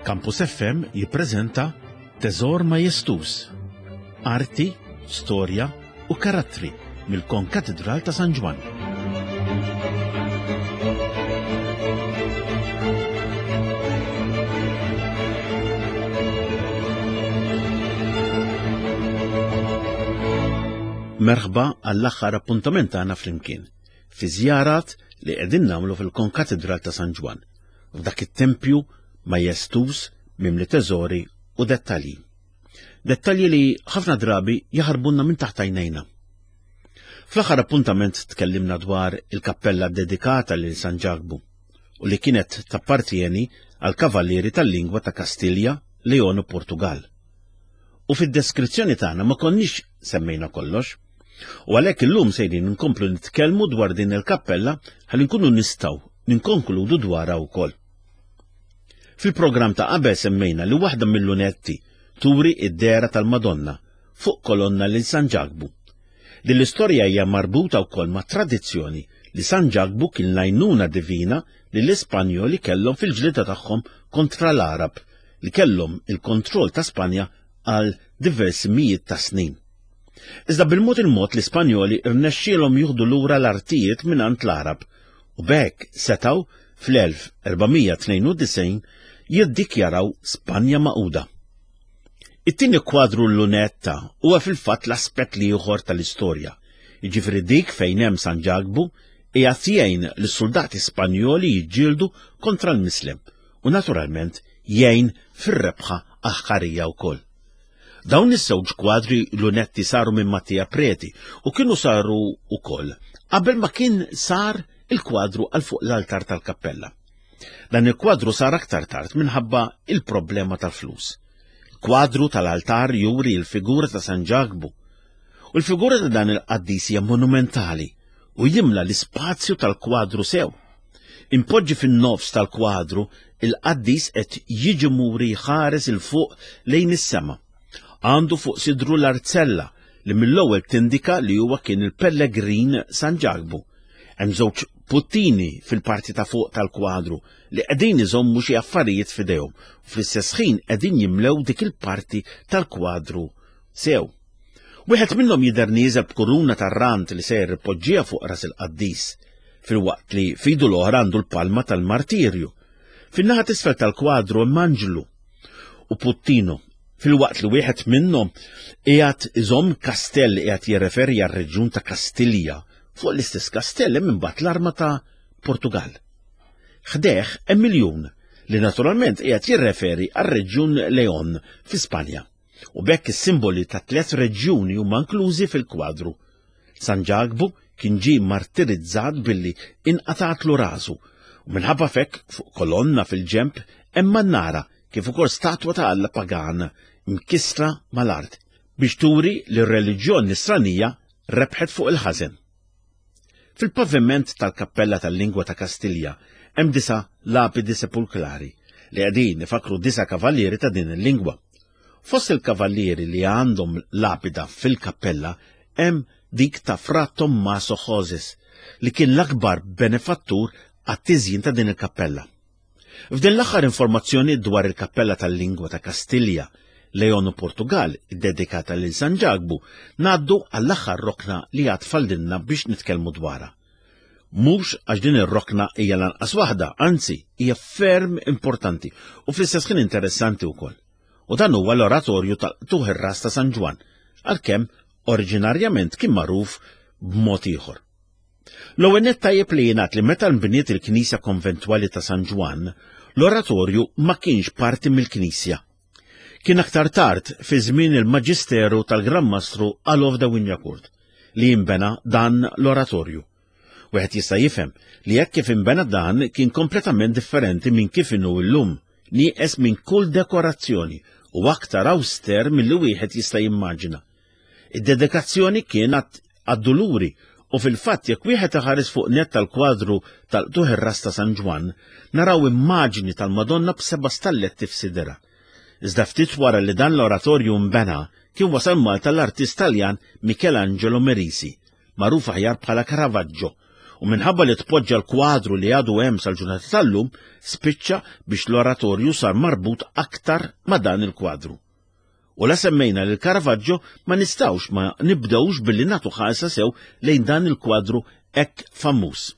Campus FM jippreżenta Teżor Majestuż, Arti, Storja u Karattri mill-Konkatidral ta' San Ġwann. Merħba għall-aħħar appuntament tagħna flimkien fi żjarat li qegħdin nagħmlu fil-Konkatidral ta' San Ġwann, f'dak it-tempju majestuż mimli teżori u dettalji. Dettalji li ħafna drabi jaħarbunna minn taħt għajnejna. Fl-aħħar appuntament tkellimna dwar il-kappella dedikata lil San Ġakbu u li kienet tappartieni għal kavallieri tal-lingwa ta' Kastilja, Leon u Portugal. U fid-deskrizzjoni tagħna ma konniex semmejna kollox. U għalhekk illum sejrin nkomplu nitkellmu dwar din il-kappella ħalli nkunu nistgħu ninkonkludu dwarha wkoll. Fil-programm ta' qabel semmejna li waħda mill-lunetti turi id-dehra tal-Madonna fuq kolonna lil San Ġakbu. Din l-istorja hija marbuta wkoll ma' tradizzjoni li San Ġakbu kien l-għajnuna divina li l-Ispanjoli kellhom fil-ġlieda tagħhom kontra l-Għarab li kellhom il-kontroll ta' Spanja għal diversi mijiet ta' snin. Iżda bil-mod il-mod l-Ispanjoli rnexxielhom jieħdu lura l-artijiet mingħand l-Għarab u b'hekk setgħu fl-1492 jiddikjaraw Spanja magħquda. It-tieni kwadru l-lunetta huwa fil-fatt l-aspett l-ieħor tal-istorja, jiġifieri dik fejn hemm San Ġakbu qiegħed jgħin lis-suldati Spanjoli jiġġieldu kontra l-Mislem u naturalment jgħin fir-rebħa aħħarija wkoll. Dawn iż-żewġ kwadri lunetti saru minn Mattia Preti u kienu saru wkoll qabel ma kien sar il-kwadru għal fuq l-altar tal-kappella. Dan il-kwadru sar aktar tard minħabba il-problema tal-flus. Kwadru tal-altar juri l-figura ta' San Ġakbu. U l-figura ta' dan il-qaddis hija monumentali u jimla l-ispazju tal-kwadru sew. Impoġġi fin-nofs tal-kwadru, il-qaddis qed jiġi muri jħares 'il fuq lejn is-sema. Għandu fuq sidru l-arzella li mill-ewwel tindika li huwa kien il-pellegrin San Ġakbu. Hemm żewġ puttini fil-parti ta' fuq tal-kwadru li qegħdin iżommu xi affarijiet f'idejhom u fl-istess ħin qegħdin jimlew dik il-parti tal-kwadru sew. Wieħed minnhom jidher nieżel b'kuruna tar-rand li sejjer ipoġġiha fuq ras il-qaddis, filwaqt li f'idu l-oħra għandu l-palma tal-martirju. Fin-naħa t'isfel tal-kwadru hemm anġlu u puttino, filwaqt li wieħed minnhom qiegħed iżomm kastell li qiegħed jirreferi għar-reġjun ta' Kastilja. Fuq l-istess kastell hemm imbagħad l-arma ta' Portugal. Ħdejh hemm iljun li naturalment qiegħed jirreferi għar-reġjun Leon fi Spanja. U b'hekk is-simboli ta' tliet reġjuni huma inklużi fil-kwadru. San Ġakbu kien ġie martirizzat billi inqatgħatlu rasu u minħabba f'hekk fuq kolonna fil-ġenb hemm mannara kif ukoll statwa ta' alla pagan mkissra mal-art biex turi li r-reliġjon nisranija rebħet fuq il-ħażen. Fil-paviment tal-kappella tal-lingwa ta' Kastilja hemm disa' lapidi sepulklari li qegħdin ifakkru disa' kavallieri ta' din il-lingwa. Fost il-kavallieri li għandhom lapida fil-kappella hemm dik ta' Fra Tommaso Joses li kien l-akbar benefattur għat-tiżjin ta' din il-kappella. F'din l-aħħar informazzjoni dwar il-Kappella tal-Lingwa ta' Kastilja, Leon u Portugal, iddedikata lil San Ġakbu, ngħaddu għall-aħħar rokna li għad faldilna biex nitkellmu dwarha. Mhux għax din ir-rokna hija l-anqas waħda, anzi, hija ferm importanti u fl-istess ħin interessanti wkoll. U dan huwa l-oratorju tal-qtugħ ir-ras ta' San Ġwann, għalkemm oriġinarjament kien magħruf b'mod ieħor. L-ewwel nett tajjeb li jingħad li meta nbniet il-knisja konventwali ta' San Ġwann, l-oratorju ma kienx parti mill-knisja. Kien aktar tard fi żmien il-maġisteru tal-Gran Mastru Alof de Wignacourt li jinbena dan l-oratorju. Wieħed jista' jifhem li hekk kif inbena dan kien kompletament differenti minn kif inhu llum, nieqes minn kull dekorazzjoni u aktar awster milli wieħed jista' jimmaġina. Id-dedikazzjoni kienet għad-Duluri u fil-fatt jekk wieħed iħares fuq nett tal-kwadru tal-qtugħ ir-ras ta' San Ġwann, naraw immaġni tal-Madonna b'seba' stalletti f'sidirha. Iżda ftit wara li dan l-oratorju nbena, kien wasal Malta l-artist Taljan Michelangelo Merisi, magħruf aħjar bħala Caravaggio, U minħabba li tpoġġa l-kwadru li għadu hemm sal-ġurnata tal-lum, spiċċa biex l-oratorju sar marbut aktar ma' dan il-kwadru. U la semmejna lil Caravaggio ma nistgħux ma nibdewx billi nagħtu ħarsa sew lejn dan il-kwadru hekk famuż.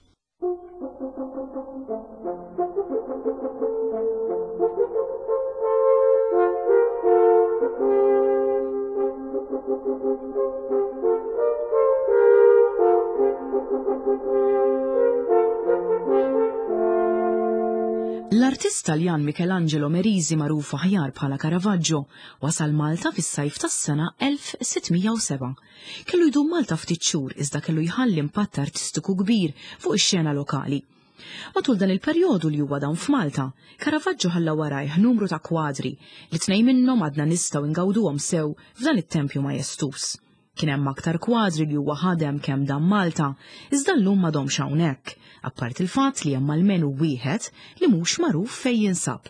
L-artist Taljan Michelangelo Merisi magħruf aħjar bħala Caravaggio wasal Malta fis-sajf tas-sena 1607. Kellu jdum Malta ftit xhur iżda kellu jħalli impatt artistiku kbir fuq ix-xena lokali. Matul dan il-perjodu li huwa dawn f'Malta, Caravaggio ħalla warajh numru ta' kwadri li tnejn minnhom għadna nistgħu ingawduhom sew f'dan it-tempju majestuż. Kien hemm aktar kwadri li huwa ħadem kemm dam Malta, iżda llum m'għadhomx hawnhekk, apparti l-fatt li hemm almenu wieħed li mhux magħruf fejn jinsab.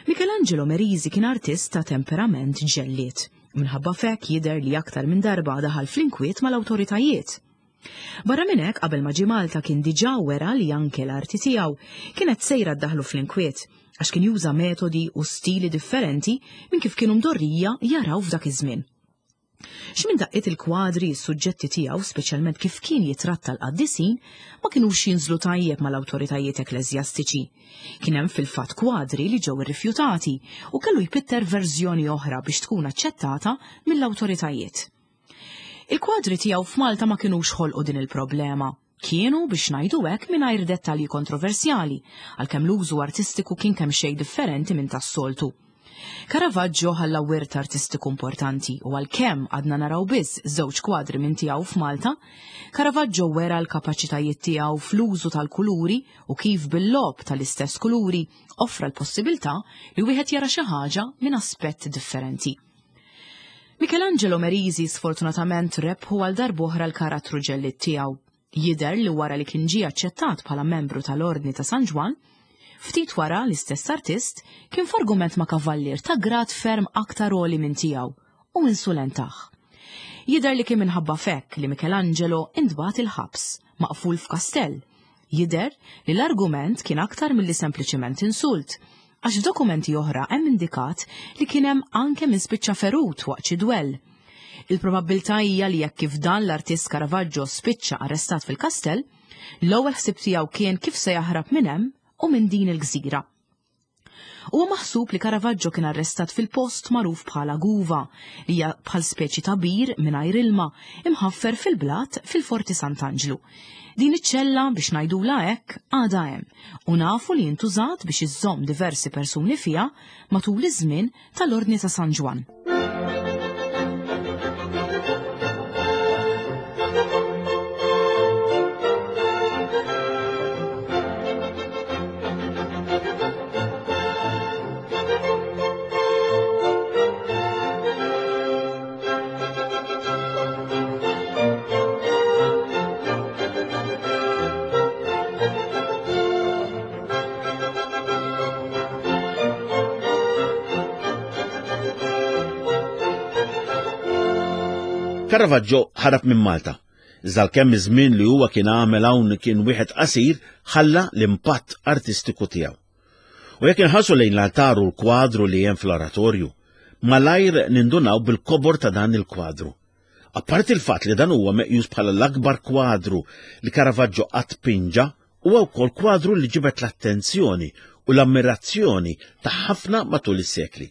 Michelangelo Merisi kien artist ta' temperament ġellied. Minħabba f'hekk jidher li aktar minn darba daħal fl-inkwiet mal-awtoritajiet. Barra minn hekk qabel ma ġie Malta kien diġà wera li anke l-arti tiegħu kienet sejra ddaħlu fl-inkwiet għax kien juża metodi u stili differenti minn kif kienu mdorrija jaraw f'dak iż-żmien. X'minn daqqiet il-kwadri, is-suġġetti tiegħu, speċjalment kif kien jitratta l-qaddisin, ma kinux jinżlu tajjeb mal-awtoritajiet ekkleżjastiċi. Kien hemm fil-fatt kwadri li ġew irrifjutati u kellu jpitter verżjoni oħra biex tkun aċċettata mill-awtoritajiet. Il-kwadri tiegħu f'Malta ma kinux ħolqu din il-problema. Kienu, biex ngħidu hekk, mingħajr dettalji kontroversjali, għalkemm l-użu artistiku kien kemxejn differenti minn tas-soltu. Caravaggio ħalla wirt artistiku importanti u għalkemm għadna naraw biss żewġ kwadri minn tiegħu f'Malta, Caravaggio wera l-kapaċitajiet tiegħu fl-użu tal-kuluri u kif bil-logħob tal-istess kuluri offra l-possibilità li wieħed jara xi ħaġa minn aspett differenti. Michelangelo Merisi sfortunatament rebħu għal darb'oħra l-karattru ġellied tiegħu. Jidher li wara li kien ġie aċċettat bħala membru tal-Ordni ta' San Ġwann, ftit wara l-istess artist kien f'argument ma' kavallier ta' grad ferm aktar għoli minn tiegħu u insulentah. Jidher li kien minħabba f'hekk li Michelangelo intbagħat il-ħabs, maqful f'kastell. Jidher li l-argument kien aktar milli sempliċement insult, għax f'dokumenti oħra hemm indikat li kien hemm anke min spiċċa ferut waqt xi dwell. Il-probabbiltà hija li jekk kif dan l-artist Caravaggio spiċċa arrestat fil-kastell, l-ewwel ħsieb tiegħu kien kif se jaħrab minn hemm u minn din il-gżira. Huwa maħsub li Caravaggio kien arrestat fil-post magħruf bħala Guva, li hija bħal speċi ta' bir mingħajr ilma imħaffer fil-blat fil-Forti Sant'Anġlu. Din iċ-ċella, biex ngħidulha hekk, għadha hemm u nafu li intużat biex iżżomm diversi persuni fiha matul iż-żmien tal-Ordni ta' San Ġwann. Caravaggio ħarab minn Malta. Iżda għalkemm iż-żmien li huwa kien għamel hawn kien wieħed qasir, ħalla l-impatt artistiku tiegħu. U jekk inħarsu lejn l-altar u l-kwadru li hemm fl-oratorju, malajr nindunaw bil-kobor ta' dan il-kwadru. Apparti l-fatt li dan huwa meqjus bħala l-akbar kwadru li Caravaggio qatt pinġa, huwa wkoll kwadru li ġibed l-attenzjoni u l-ammirazzjoni ta' ħafna matul is-sekli.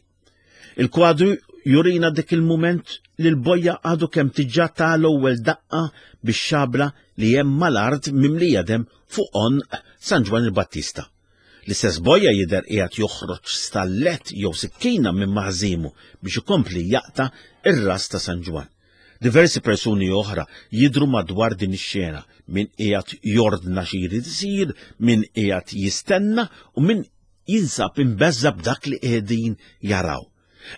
Il-kwadru jurina dik il-mument li l-bojja għadu kemm tiġa ta' l-ewwel daqqa bix-xabla li hemm mal-art mimlija dem fuq għonq San Ġwann il-Battista. L-istess bojja jidher qiegħed joħroġ stallett jew sikkina minn maħżimu biex ikompli jaqta' r-ras ta' San Ġwann. Diversi persuni oħra jidhru madwar din ix-xena, min qiegħed jordna xi jrid isir, min qiegħed jistenna u min jinsab imbeżża' b'dak li qegħdin jaraw.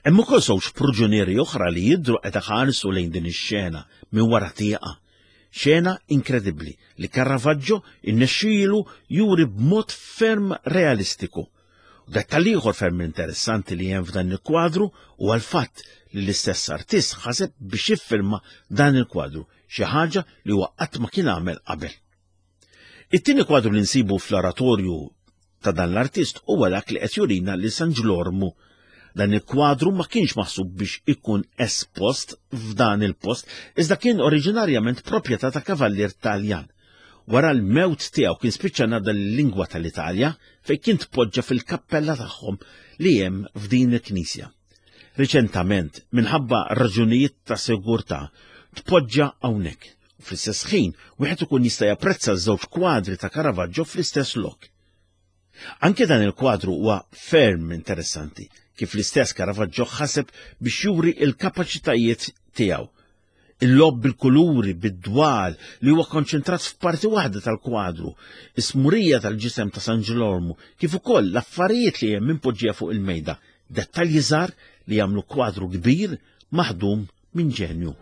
Hemm ukoll żewġ pruġunieri oħra li jidhru qed iħarsu lejn din ix-xena minn wara tieqa. Xena inkredibbli li Caravaggio innexxielu juri b'mod ferm realistiku. U dettall ieħor ferm interessanti li hemm f'dan il-kwadru huwa l-fatt li l-istess artist ħaseb biex jiffilma dan il-kwadru, xi ħaġa li huwa qatt ma kien għamel qabel. It-tieni kwadru li nsibu fl-oratorju ta' dan l-artist huwa dak li qed jurina li San Ġlormu. Dan il-kwadru ma kienx maħsub biex ikun espost f'dan il-post, iżda kien oriġinarjament proprjetà ta' kavallier Taljan. Wara l-mewt tiegħu kien spiċċa ngħadda l-lingwa tal-Italja fejn kien tpoġġa fil-kappella tagħhom li hemm f'din il-knisja. Riċentament, minħabba raġunijiet ta' sigurtà, tpoġġa hawnhekk. U fl-istess ħin, wieħed ikun jista' japprezza ż-żewġ kwadri ta' Caravaggio fl-istess lok. Anke dan il-kwadru huwa ferm interessanti, kif l-istess Caravaggio ħaseb biex juri il-kapaċitajiet tiegħu. Il-lob bil-kuluri, bid-dwal, li huwa konċentrat f'parti waħda tal-kwadru, is-smurija tal-ġisem ta' San Ġilormu, kif ukoll l-affarijiet li hemm impoġġija fuq il-mejda, dettalji żgħar li jagħmlu kwadru kbir maħdum minn ġenju.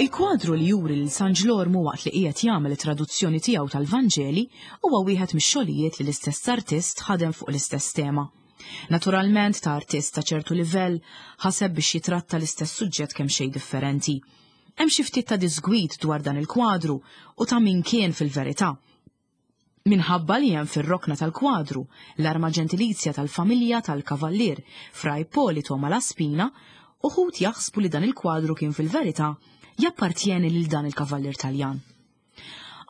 Il-kwadru li juri lil San Ġlormu waqt li qiegħed jagħmel it-traduzzjoni tiegħu tal-Vanġeli huwa wieħed mix-xogħlijiet li l-istess artist ħadem fuq l-istess tema. Naturalment ta' artist ta' ċertu livell ħaseb biex jitratta l-istess suġġett kemm xejn differenti. Hemm xi ftit ta' diżgwid dwar dan il-kwadru u ta' min kien fil-verità. Minħabba li hemm fir-rokna tal-kwadru l-arma ġentilizja tal-familja tal-Kavallier Fra Ippolito Malaspina, uħud jaħsbu li dan il-kwadru kien fil-verità jappartjeni lil dan il-kavallier Taljan.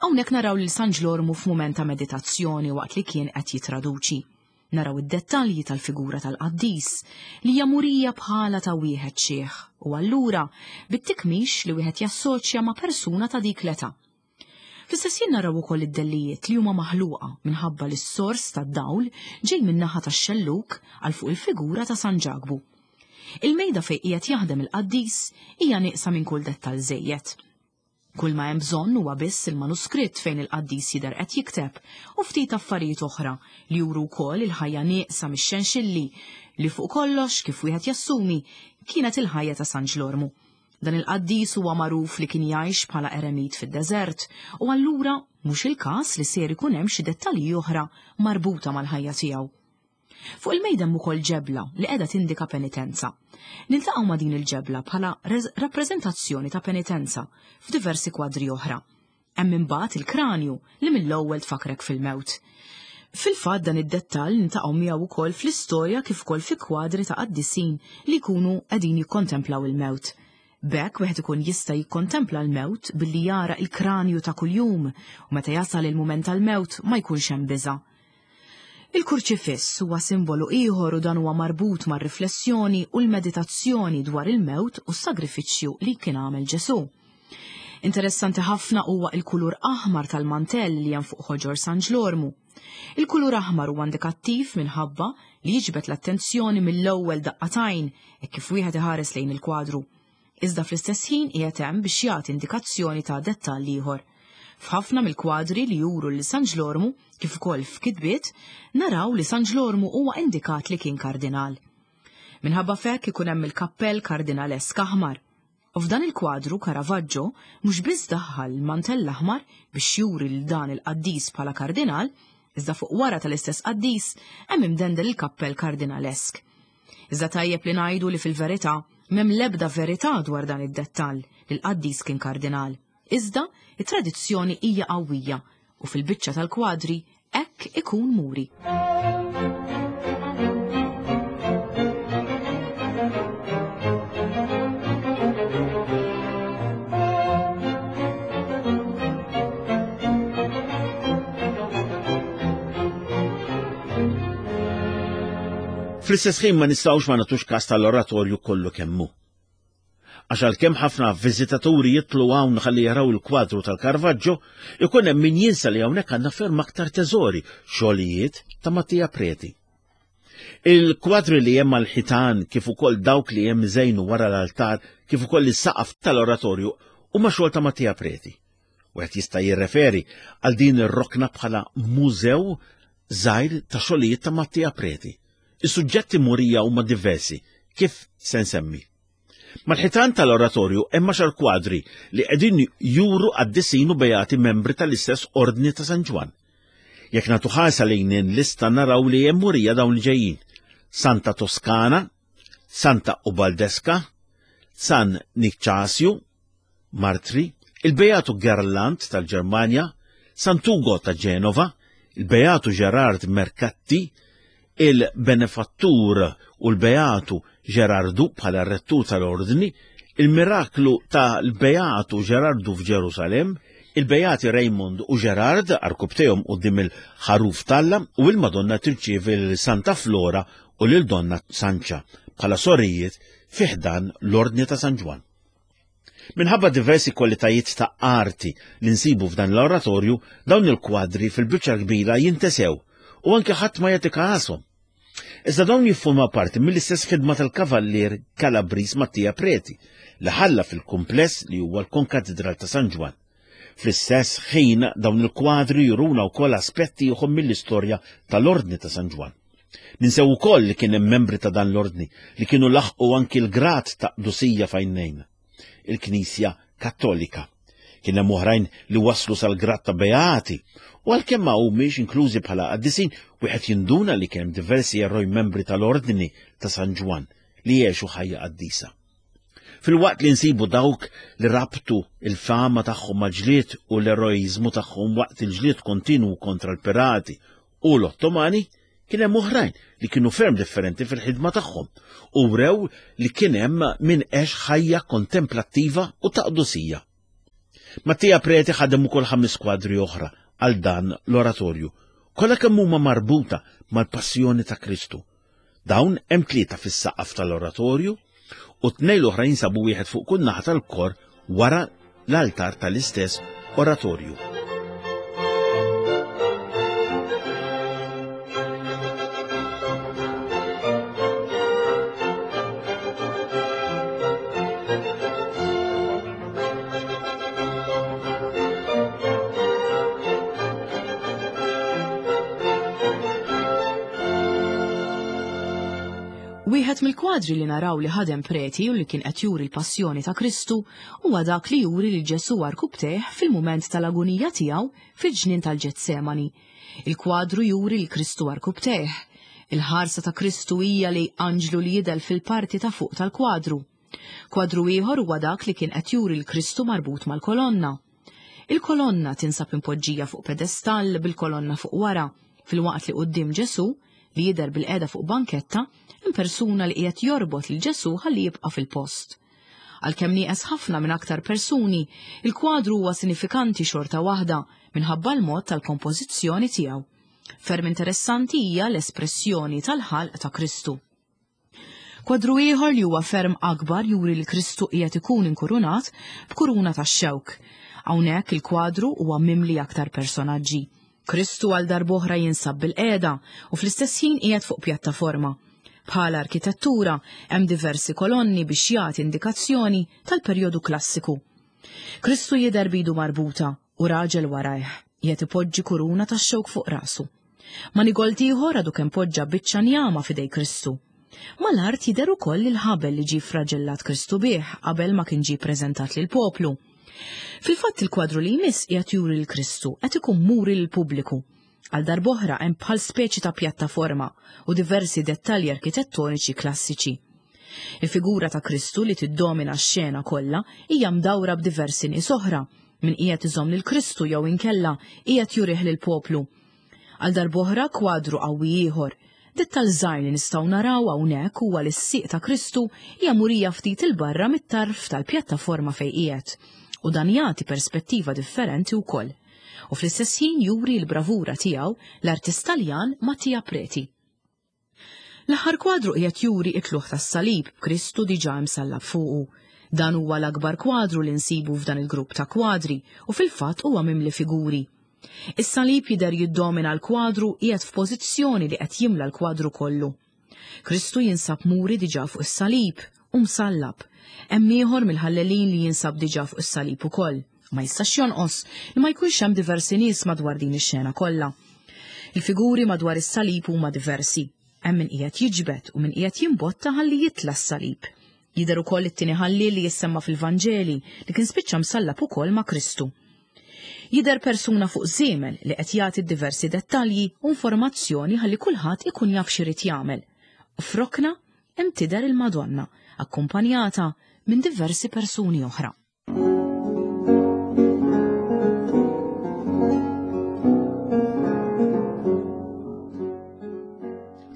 Hawnhekk naraw lil San Ġlormu f'mument ta' meditazzjoni waqt li kien qed jitraduċi. Naraw id-dettalji tal-figura tal-qaddis li hija murija bħala ta' wieħed xiħ u allura bit-tikmix li wieħed jassoċja ma' persuna ta' dik l-età. Fl-istess jien naraw ukoll id-dellijiet li huma maħluqa minħabba li s-sors tad-dawl ġej min-naħa tax-xellug għal fuq il-figura ta' San Ġakbu. Il-mejda fejn qiegħed jaħdem il-qaddis hija nieqsa minn kull dettall żejjed. Kull ma hemm bżonn huwa biss il-manuskritt fejn il-qaddis jidher qed jikteb u ftit affarijiet oħra li juru wkoll il-ħajja nieqsa mix-xenxilli li fuq kollox kif wieħed jassumi kienet il-ħajja ta' San Ġlormu. Dan il-qaddis huwa magħruf li kien jgħix bħala eremit fid-deżert u allura mhux il-każ li ser ikun hemm xi dettalji oħra marbuta mal-ħajja tiegħu. Fuq il-mejda hemm ukoll ġebla li qiegħda tindika penitenza. Niltaqgħu ma' din il-ġebla bħala rappreżentazzjoni ta' penitenza f'diversi kwadri oħra. Hemm imbagħad il-kranju li mill-ewwel tfakrek fil-mewt. Fil-fatt dan id-dettall niltaqgħu miegħu wkoll fl-istorja kif ukoll fi kwadri ta' qaddisin li jkunu qegħdin jikkontemplaw il-mewt. B'hekk wieħed ikun jista' jikkontempla l-mewt billi jara il-kranju ta' kuljum u meta jasal il-mument tal-mewt ma jkunx hemm biża'. Il-kurċifiss huwa simbolu ieħor u dan huwa marbut mar-riflessjoni u l-meditazzjoni dwar il-mewt u s-sagrifiċċju li kien għamel Ġesù. Interessanti ħafna huwa il-kulur aħmar tal-mantell li hemm fuq ħoġor San Ġlormu. Il-kulur aħmar huwa indikattiv minħabba li jiġbed l-attenzjoni mill-ewwel daqqa t'għajn hekk kif wieħed iħares lejn il-kwadru. Iżda fl-istess ħin qiegħed hemm biex jagħti indikazzjoni ta' dettall ieħor. F'ħafna mill-kwadri li juru lil San Ġlormu, kif ukoll f'kitbiet, naraw li San Ġlormu huwa indikat li kien kardinal. Minħabba f'hekk ikun hemm il-kappell kardinalesk aħmar. U f'dan il-kwadru Caravaggio mhux biss daħħal l-mantell aħmar biex juri lil dan il-qaddis bħala kardinal, iżda fuq wara tal-istess qaddis hemm imdendel il-kappell kardinalesk. Iżda tajjeb li ngħidu li fil-verità m'hemm l-ebda verità dwar dan id-dettall li l-qaddis kien kardinal. Iżda, it-tradizzjoni hija qawwija u fil-biċċa tal-kwadri hekk ikun muri. Fl-istess ħin ma nistgħux ma nagħtux każ tal-oratorju kollu kemm hu. Għax għalkemm ħafna viżitaturi jitlu hawn ħalli jaraw il-kwadru tal-Caravaggio, ikun hemm min jinsa li hawnhekk għandna ferm aktar teżori, xogħlijiet ta' Mattia Preti. Il-kwadri li hemm mal-ħitan kif ukoll dawk li hemm iżejnu wara l-altar kif ukoll is-saqaf tal-oratorju huma xogħol ta' Mattia Preti. Wieħed jista' jirreferi għal din ir-rokna bħala mużew żgħir ta' xogħlijiet ta' Mattia Preti. Is-suġġetti murija huma diversi, kif se nsemmi. Mal-ħitan tal-oratorju hemm għaxar kwadri li qegħdin juru qaddisin u beati membri tal-istess Ordni ta' San Ġwann. Jekk nagħtu ħarsa lejn lista naraw li hemm murija dawn li ġejjin. Santa Toskana, Santa Ubaldeska, San Nikċasju, Martri, il-Beatu Gerland tal-Ġermanja, Sant'Ugo ta' Ġenova, il-Beatu Gerard Mercatti, il-Benefattur u l-Beatu Gerardu bħala rettur tal-Ordni, il-Miraklu tal-Beatu Gerardu f'Ġerusalemm, il-Beati Raymond u Gerard arkubtejhom quddiem il-Ħaruf t'Alla u l-Madonna tirċievi lil Santa Flora u lil Donna Sancha bħala sorijiet fi ħdan l-Ordni ta' San Ġwann. Minħabba diversi kwalitajiet ta' arti li nsibu f'dan l-oratorju, dawn il-kwadri fil-biċċa kbira jintesew u anke ħadd ma jagħti kasom. Iżda dawn jiffurmaw parti mill-istess ħidma tal-kavallier Calabris Mattia Preti li ħalla fil-kumpless li huwa l-Konkatedral ta' San Ġwann. Fl-istess ħin dawn il-kwadri juruna wkoll aspetti ieħor mill-istorja tal-Ordni ta' San Ġwann. Ninsew ukoll li kien hemm membri ta' dan l-ordni li kienu laħqu anki l-grad ta' qdusija f'għajnejn il-Knisja Kattolika. Kien hemm oħrajn li waslu sal-grad ta' beati u għalkemm ma humiex inklużi bħala qaddisin, wieħed jinduna li kien hemm diversi eroj membri tal-Ordni ta' San Ġwann li għexu ħajja qaddisa. Filwaqt li nsibu dawk li rabtu il-fama tagħhom mal-ġlied u l-eroiżmu tagħhom waqt il-ġlied kontinwu kontra l-pirati u l-Ottomani, kien hemm oħrajn li kienu ferm differenti fil-ħidma tagħhom u wrew li kien hemm min għex ħajja kontemplattiva u ta' qdusija. Mattia Preti ħadem ukoll ħames kwadri oħra għal dan l-oratorju, kollha kemm huma marbuta mal-passjoni ta' Kristu. Dawn hemm tlieta fis-saqaf tal-oratorju u tnejn l-oħra jinsabu wieħed fuq kull naħa tal-kor wara l-altar tal-istess oratorju. Wieħed mill-kwadri li naraw li ħadem Preti u li kien qed juri l-passjoni ta' Kristu huwa dak li juri lil Ġesù għarkupptejh fil-mument tal-agunija tiegħu fil-ġnien tal-Ġetsemani. Il-kwadru juri lil Kristu għarkupptejh. Il-ħarsa ta' Kristu hija lejn anġlu li jidher fil-parti ta' fuq tal-kwadru. Kwadru ieħor huwa dak li kien qed juri 'l Kristu marbut mal-kolonna. Il-kolonna tinsab impoġġija fuq pedestall bil-kolonna fuq wara, filwaqt li quddiem Ġesù, li jidher bilqiegħda fuq banketta, hemm persuna li qiegħed jorbot lil Ġesù ħalli jibqa' fil-post. Għalkemm nieqes ħafna minn aktar persuni, il-kwadru huwa sinifikanti xorta waħda minħabba l-mod tal-kompożizzjoni tiegħu. Ferm interessanti hija l-espressjoni tal-ħalq ta' Kristu. Kwadru ieħor li huwa ferm akbar juri li Kristu qiegħed ikun inkurunat b'kuruna tax-xewk. Hawnhekk il-kwadru huwa mimli aktar personaġġi. Kristu għal darb'oħra jinsab bilqiegħda u fl-istess ħin qiegħed fuq pjattaforma. Bħala arkitettura hemm diversi kolonni biex jagħti indikazzjoni tal-perjodu klassiku. Kristu jidher b'idu marbuta u raġel warajh, qiegħed ipoġġi kuruna tax-xewk fuq rasu. Manigold ieħor għadu kemm poġġa biċċa njama f'idej Kristu. Mal-art jidher ukoll il-ħabel li ġie ffraġellat Kristu bih qabel ma kien ġie ppreżentat lill-poplu. Fil-fatt il-kwadru li jmiss qiegħed juri lil Kristu qed ikun muri lill-pubbliku. Għal darb'oħra hemm bħal speċi ta' pjattaforma u diversi dettalji arkitettoniċi klassiċi. Il-figura ta' Kristu li tiddomina x-xena kollha hija mdawra b'diversi nies oħra, min qiegħed iżomm lil Kristu jew inkella qiegħed jurih lill-poplu. Għal darb'oħra kwadru qawwi ieħor. Dettall żgħir li nistgħu naraw hawnhekk huwa li s-sieq ta' Kristu hija murija ftit 'il barra mit-tarf tal-pjattaforma fejn qiegħed, u dan jagħti perspettiva differenti wkoll. U fl-istess ħin juri l-bravura tiegħu l-artist Taljan Mattia Preti. L-aħħar kwadru qiegħed juri t-tlugħ tas-salib b'Kristu diġà imsallab fuqu. Dan huwa l-akbar kwadru li nsibu f'dan il-grupp ta' kwadri u fil-fatt huwa mimli figuri. Is-salib jidher jiddomina l-kwadru qiegħed f'pożizzjoni li qed jimla l-kwadru kollu. Kristu jinsab muri diġà fuq is-salib u msallab. Hemm ieħor mill-ħallelin li jinsab diġà fuq is-salib ukoll. Ma jistax jonqos li ma jkunx hemm diversi nies madwar din ix-xena kollha. Il-figuri madwar is-salib huma diversi. Hemm min qiegħed jiġbed u min qiegħed jimbotta ħalli jitla' s-salib. Jidher ukoll it-tieni ħalliel li jissemma fil-Vanġeli li kien spiċċa msallab ukoll ma' Kristu. Jidher persuna fuq żiemel li qed jagħti diversi dettalji u informazzjoni ħalli kulħadd ikun jaf x'irid jagħmel. U f'rokna hemm tidher il-Madonna, akkumpanjata minn diversi persuni oħra.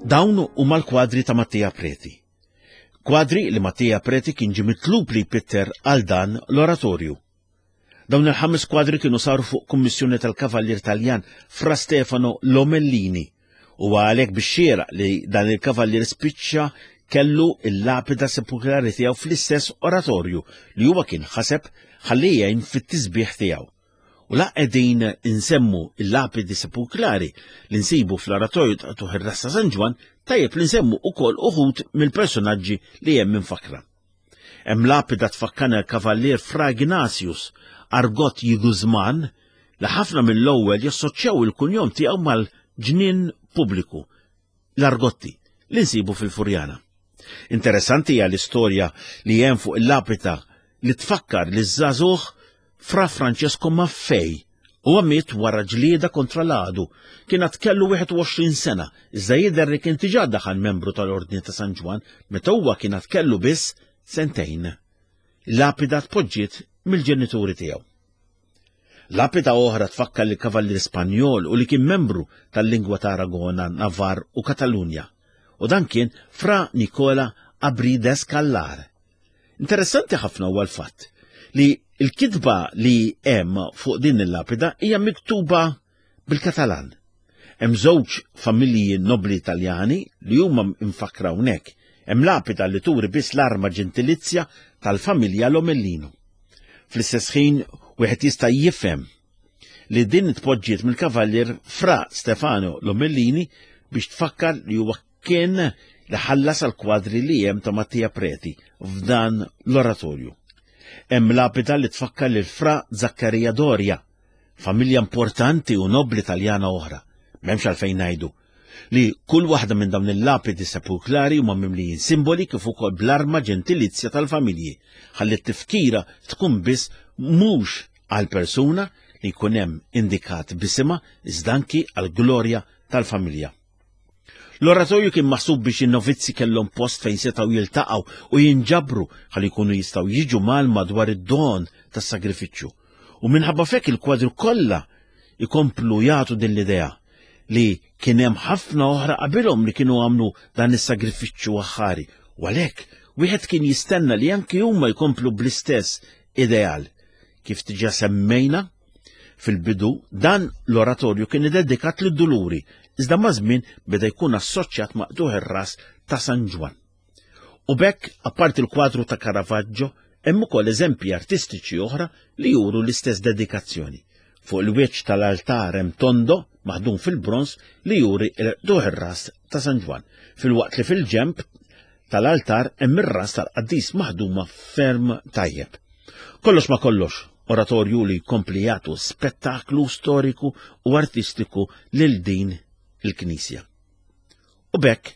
Dawn huma l-kwadri ta' Mattia Preti. Kwadri li Mattia Preti kien ġie mitlub li jpitter għal dan l-oratorju. Dawn il-ħames kwadri kienu saru fuq kummissjoni tal-Kavallier Taljan Fra Stefano Lomellini u għalhekk biex xieraq li dan il-kavallier spiċċa kellu il-lapida sepulkrali tiegħu fl-istess oratorju li huwa kien ħaseb ħalli jgħin fit-tisbieħ tiegħu. U la qegħdin insemmu il-lapidi sepulkrali li nsibu fl-oratorju ta' Tuħ ir-Rassa San Ġwann, tajjeb li nsemmu ukoll uħud mill-personaġġi li hemm infakra. Hemm lapida tfakkarna l-Kavallier Fra Ignatius Argot Jiguzman li ħafna mill-ewwel jassoċjaw il-kunjom tiegħu mal-ġnien pubbliku, l-Argotti, li nsibu fil-Furjana. Interessanti hija l-istorja li hemm fuq il-lapida li tfakkar li żagħżugħ Fra Francesco Maffei Huwa miet wara ġlieda kontra l-għadu. Kien għad kellu 21 sena, iżda jidher li kien diġà daħal membru tal-Ordni ta' San Ġwann meta huwa kien għad kellu biss sentejn. Lapida tpoġġiet mill-ġenituri tiegħu. Lapida oħra tfakkar li kavallier Spanjol u li kien membru tal-lingwa ta' Aragona, Navarre u Katalunja. U dan kien Fra Nicola Abrides Callar. Interessanti ħafna huwa l-fatt li l-kitba li hemm fuq din il-lapida hija miktuba bil-Katalan. Hemm żewġ familji nobli Taljani li huma mfakkra hawnhekk. Hemm lapida li turi biss l-arma ġentilizja tal-familja Lomellino. Fl-istess ħin wieħed jista' jifhem li din tpoġġiet mill-kavallier Fra Stefano Lomellini biex tfakkar li huwa kien li ħallas għal kwadri li hemm ta' Mattia Preti f'dan l-oratorju. Hemm lapida li tfakkar lil Fra Zaccaria Doria, familja importanti u nobli Taljana oħra. M'hemmx għalfejn ngħidu li kull waħda minn dawn il-lapidi sepulkrali huma mimlijin simboli kif ukoll bl-arma ġentilizja tal-familji, ħalli t-tifkira tkun biss mhux għal persuna li jkun hemm indikat bisimha iżda anki għall-glorja tal-familja. L-oratorju kien maħsub biex in-novizzi kellhom post fejn setgħu jiltaqgħu u jinġabru ħalli jkunu jistgħu jiġu mal madwar id-don tas-sagrifiċċju. U minħabba fek il-kwadru kollha ikomplu jagħtu din l-idea li kien hemm ħafna oħra qabilhom li kienu għamlu dan is-sagrifiċċju aħħari. U għalhekk wieħed kien jistenna li anki huma jkomplu bl-istess ideal. Kif diġà semmejna, Fil-bidu, dan l-oratorju kien iddedikat lid-Duluri, iżda maż-żmien beda jkun assoċjat ma' qtugħ ir-ras ta' San Ġwann. U b'hekk, apparti l-kwadru ta' Caravaggio, hemm ukoll eżempji artistiċi oħra li juru l-istess dedikazzjoni. Fuq il-wiċċ tal-altar hemm tondo maħdum fil-bronż li juri l-qtugħ ir-ras ta' San Ġwann, filwaqt li fil-ġenb tal-altar hemm ir-ras tal-qaddis maħduma ferm tajjeb. Kollox ma kollox, oratorju li jkompli jagħtu spettaklu storiku u artistiku lil din il-knisja. U bekk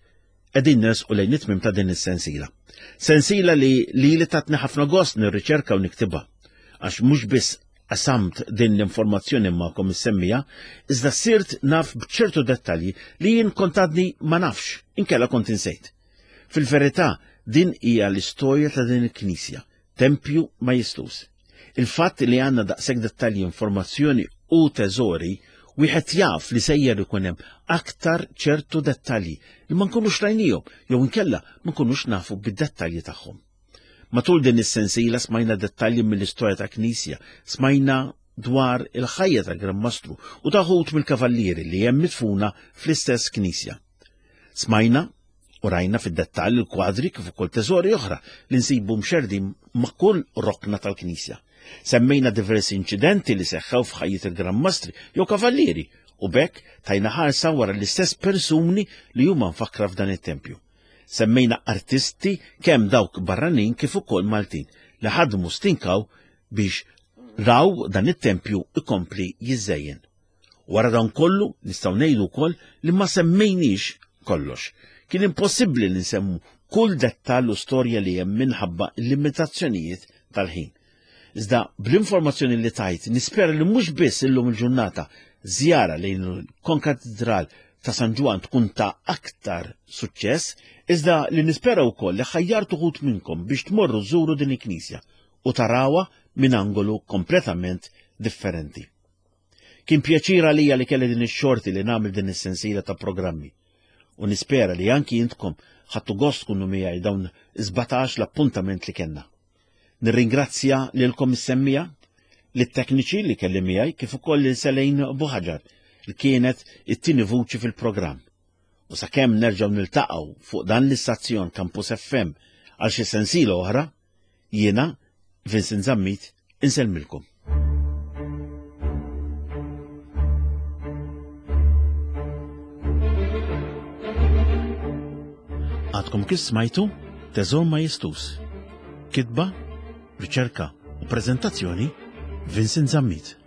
qegħdin nersqu lejn it-tmiem ta' din is-sensiela. Sensiela li li li tatni ħafna gost nirriċerka u niktibha għax mhux biss qasamt din l-informazzjoni magħkom is-semmija, iżda sirt naf b'ċertu dettalji li jien kont għadni ma nafx, inkella kont insejt. Fil-verità, din hija l-istorja ta' din il-knisja, tempju majestuż. Il-fatt li għandna daqshekk dettalji, informazzjoni u teżori, wieħed jaf li sejjer ikun hemm aktar ċertu dettalji li ma nkunux rajnihom jew inkella ma nkunux nafu bid-dettalji tagħhom. Matul din is-sensiela smajna dettalji mill-istorja ta' knisja, smajna dwar il-ħajja ta' Gran Mastru u ta' ħut mill-kavallieri li hemm midfuna fl-istess knisja. Smajna u rajna fid-dettall il-kwadri kif ukoll teżori oħra li nsibu mxerdin ma' kull rokna tal-knisja. Semmejna diversi inċidenti li seħħew f'ħajjet il-Gran Mastri jew kavallieri u bekk tajna ħarsa wara l-istess persuni li huma mfakkra f'dan it-tempju. Semmejna artisti kemm dawk barranin kif ukoll Maltin li ħadmu stinkaw biex raw dan it-tempju ikompli jiżżejjen. Wara dan kollu nistgħu ngħidu wkoll li ma semmejniex kollox. Kien impossibbli li nsemmu kull dettall u storja li hemm minħabba l-limitazzjonijiet tal-ħin. Iżda bl-informazzjoni li tajt nispera li mhux biss illum il-ġurnata żjara lejn il-Konkatedral ta' San Ġwann tkun ta' aktar suċċess, iżda li nispera wkoll li ħajjartu uħud minnkom biex tmorru żuru din il-knisja u tarawha minn angolu kompletament differenti. Kien pjaċir għalija li kelli din ix-xorti li nagħmel din is-sensiela ta' programmi u nispera li anki intkom ħadtu gost tkunu miegħi dawn 17 l-appuntament li kellna. Nirringrazzja lilkom is-semmija, lit-tekniċi li kelli miegħi kif ukoll lil Selejn Buħaġar li kienet it-tieni vuċi fil-programm. U sakemm nerġgħu niltaqgħu fuq dan l-istazzjon Campus FM għal xi sensiela oħra, jiena Vincent Zammit insellmilkom. Għadkom kif smajtu Teżor Majestus. Kitba, riċerka u prezentazzjoni Vincent Zammit.